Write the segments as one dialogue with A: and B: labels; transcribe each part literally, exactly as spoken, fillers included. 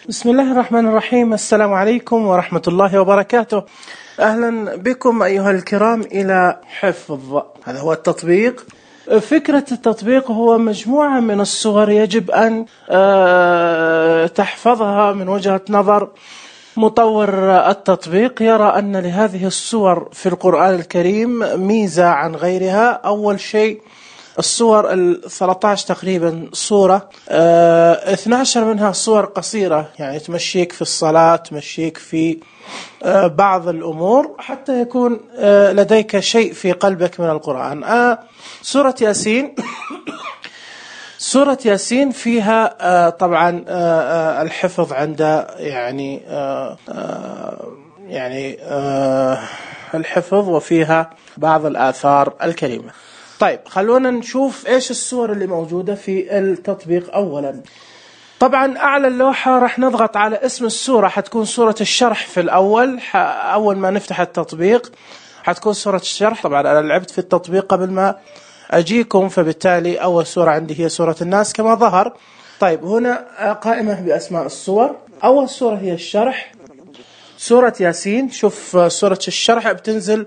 A: بسم الله الرحمن الرحيم. السلام عليكم ورحمة الله وبركاته. أهلا بكم أيها الكرام إلى حفظ. هذا هو التطبيق. فكرة التطبيق هو مجموعة من الصور يجب أن تحفظها. من وجهة نظر مطور التطبيق يرى أن لهذه الصور في القرآن الكريم ميزة عن غيرها. أول شيء الصور الثلاثة عشر تقريبا صورة، اه اثنتا عشرة منها صور قصيرة، يعني تمشيك في الصلاة، تمشيك في اه بعض الأمور حتى يكون اه لديك شيء في قلبك من القرآن. اه سورة ياسين سورة ياسين فيها اه طبعا اه الحفظ عند يعني اه يعني اه الحفظ، وفيها بعض الآثار الكريمة. طيب خلونا نشوف ايش الصور اللي موجودة في التطبيق. اولا طبعا اعلى اللوحة راح نضغط على اسم السورة، حتكون سورة الشرح في الاول. اول ما نفتح التطبيق حتكون سورة الشرح. طبعا انا لعبت في التطبيق قبل ما اجيكم، فبالتالي اول سورة عندي هي سورة الناس كما ظهر. طيب هنا قائمة باسماء الصور. اول سورة هي الشرح، سورة ياسين. شوف سورة الشرح بتنزل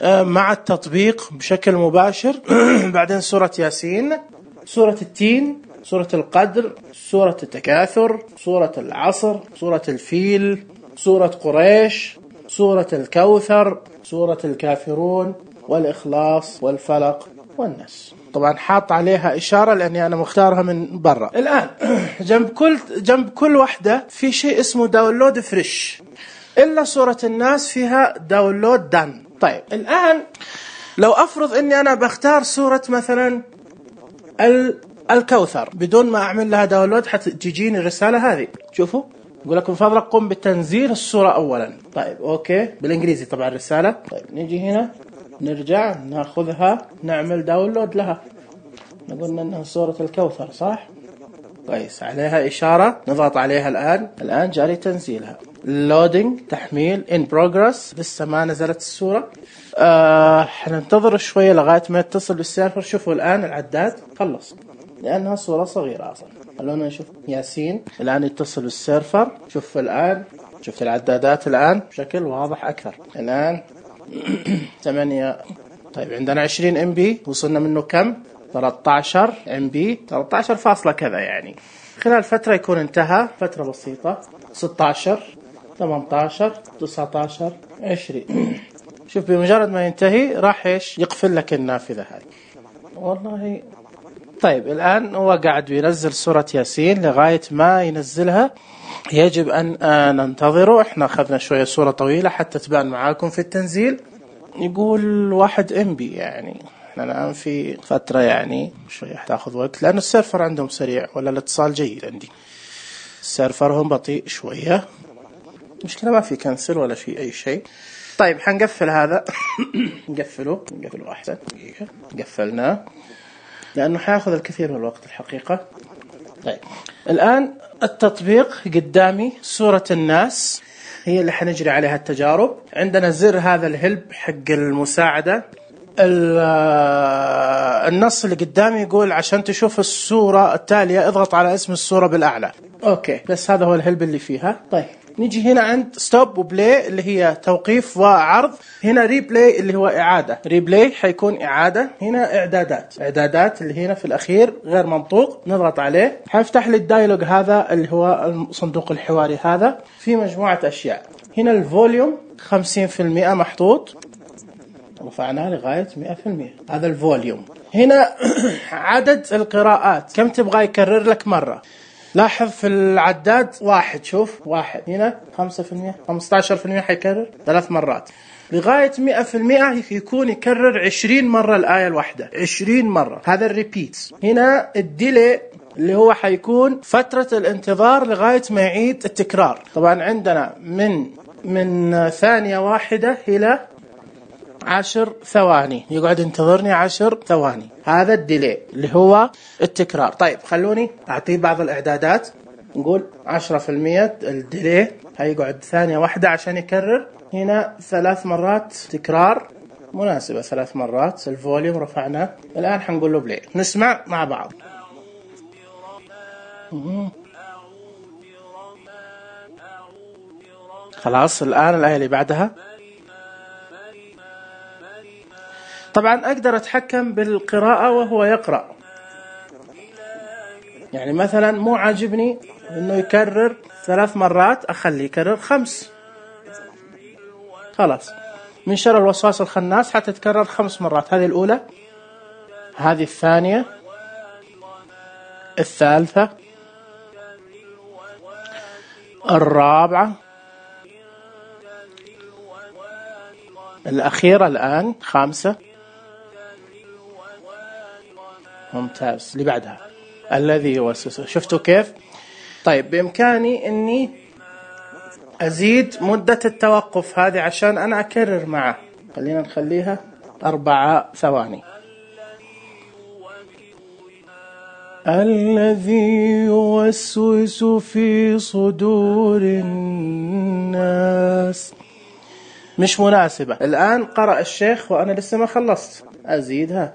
A: مع التطبيق بشكل مباشر. بعدين سورة ياسين، سورة التين، سورة القدر، سورة التكاثر، سورة العصر، سورة الفيل، سورة قريش، سورة الكوثر، سورة الكافرون، والإخلاص، والفلق، والناس. طبعا حاط عليها إشارة لأني أنا مختارها من برا. الآن جنب كل جنب كل واحدة في شيء اسمه داونلود فريش، إلا سورة الناس فيها داونلود دان. طيب الآن لو أفرض أني أنا بختار سورة مثلا الكوثر بدون ما أعمل لها داونلود، حتجيني الرسالة هذه. شوفوا يقول لكم فضلك قم بتنزيل السورة أولا. طيب أوكي، بالإنجليزي طبعا الرسالة. طيب نيجي هنا، نرجع ناخذها، نعمل داونلود لها. نقولنا أنها سورة الكوثر صح؟ كويس، عليها إشارة نضغط عليها. الآن الآن جاري تنزيلها. لودينج، تحميل، in progress، لسه ما نزلت السورة. آه حننتظر شوية لغاية ما يتصل بالسيرفر. شوفوا الآن العداد خلص لأنها صورة صغيرة أصلا. خلونا نشوف ياسين الآن يتصل بالسيرفر. شوف الآن، شفت العدادات الآن بشكل واضح أكثر. الآن ثمانية. طيب عندنا عشرين ام بي، وصلنا منه كم؟ ثلاثة عشر ام بي، ثلاثة عشر فاصلة كذا، يعني خلال فترة يكون انتهى، فترة بسيطة. ستة عشر، ثمانية عشر، تسعة عشر، عشرين. شوف بمجرد ما ينتهي راح ايش يقفل لك النافذة هذه. والله طيب الآن هو قاعد بينزل سورة ياسين. لغاية ما ينزلها يجب أن ننتظره. احنا أخذنا شوية سورة طويلة حتى تبان معاكم في التنزيل. يقول واحد ام بي، يعني احنا الآن في فترة يعني شوية تاخذ وقت، لأن السيرفر عندهم سريع ولا الاتصال جيد. عندي سيرفرهم بطيء شوية. مشكلة ما في كنسل ولا في أي شيء. طيب حنقفل هذا. نقفله نقفله أحسن. قفلناه لأنه حياخذ الكثير من الوقت الحقيقة. طيب الآن التطبيق قدامي. سورة الناس هي اللي حنجري عليها التجارب. عندنا زر هذا الهلب حق المساعدة. النص اللي قدامي يقول عشان تشوف الصورة التالية اضغط على اسم الصورة بالأعلى. أوكي، بس هذا هو الهلب اللي فيها. طيب نيجي هنا عند ستوب وبلاي اللي هي توقيف وعرض. هنا ريبلاي اللي هو إعادة. ريبلاي حيكون إعادة. هنا إعدادات، إعدادات اللي هنا في الأخير غير منطوق، نضغط عليه حيفتح لي الدايلوج هذا اللي هو الصندوق الحواري. هذا في مجموعة أشياء. هنا الفوليوم خمسين بالمئة محطوط، رفعناه لغاية مئة بالمئة. هذا الفوليوم. هنا عدد القراءات كم تبغى يكرر لك مرة. لاحظ في العداد واحد، شوف واحد. هنا خمسة بالمئة، خمسة عشر بالمئة حيكرر ثلاث مرات. لغاية مئة بالمئة يكون يكرر عشرين مرة الآية الواحدة، عشرين مرة. هذا الريبيت. هنا الديلي اللي هو حيكون فترة الانتظار لغاية ما يعيد التكرار. طبعا عندنا من من ثانية واحدة إلى عشر ثواني، يقعد ينتظرني عشر ثواني. هذا الديلي اللي هو التكرار. طيب خلوني أعطيه بعض الإعدادات. نقول عشرة بالمئة الديلي هيقعد ثانية واحدة عشان يكرر. هنا ثلاث مرات تكرار مناسبة، ثلاث مرات. الفوليوم رفعناه. الآن حنقول له بلاي، نسمع مع بعض. خلاص. الآن الآية اللي بعدها. طبعا أقدر أتحكم بالقراءة وهو يقرأ. يعني مثلا مو عاجبني إنه يكرر ثلاث مرات، أخليه يكرر خمس. خلاص. من شر الوسواس الخناس حتى تكرر خمس مرات. هذه الأولى، هذه الثانية، الثالثة، الرابعة، الأخيرة الآن خامسة. ممتاز. اللي بعدها الذي يوسوس. شفتوا كيف؟ طيب بإمكاني أني أزيد مدة التوقف هذه عشان أنا أكرر معه. خلينا نخليها أربعة ثواني. الذي يوسوس في صدور الناس. مش مناسبة. الآن قرأ الشيخ وأنا لسه ما خلصت، أزيدها.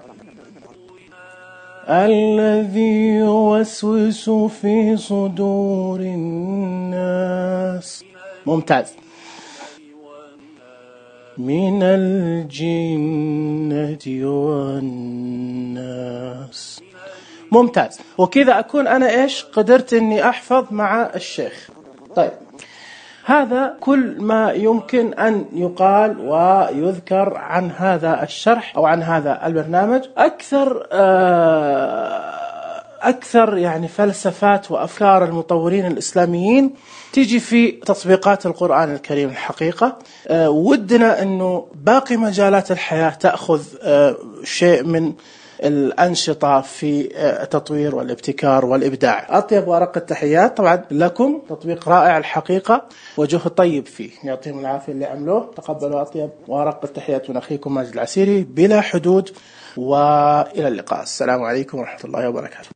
A: الذي يوسوس في صدور الناس. ممتاز. من الجنة والناس. ممتاز. وكذا أكون أنا إيش قدرت إني أحفظ مع الشيخ. طيب هذا كل ما يمكن أن يقال ويذكر عن هذا الشرح أو عن هذا البرنامج. أكثر أكثر يعني فلسفات وأفكار المطورين الإسلاميين تيجي في تطبيقات القرآن الكريم. الحقيقة ودنا أنه باقي مجالات الحياة تأخذ شيء من الأنشطة في التطوير والابتكار والإبداع. أطيب وأرق التحيات طبعا لكم. تطبيق رائع الحقيقة وجهه طيب فيه. يعطيهم العافية اللي عملوه. تقبلوا أطيب وأرق التحيات من أخيكم ماجد العسيري بلا حدود، وإلى اللقاء. السلام عليكم ورحمة الله وبركاته.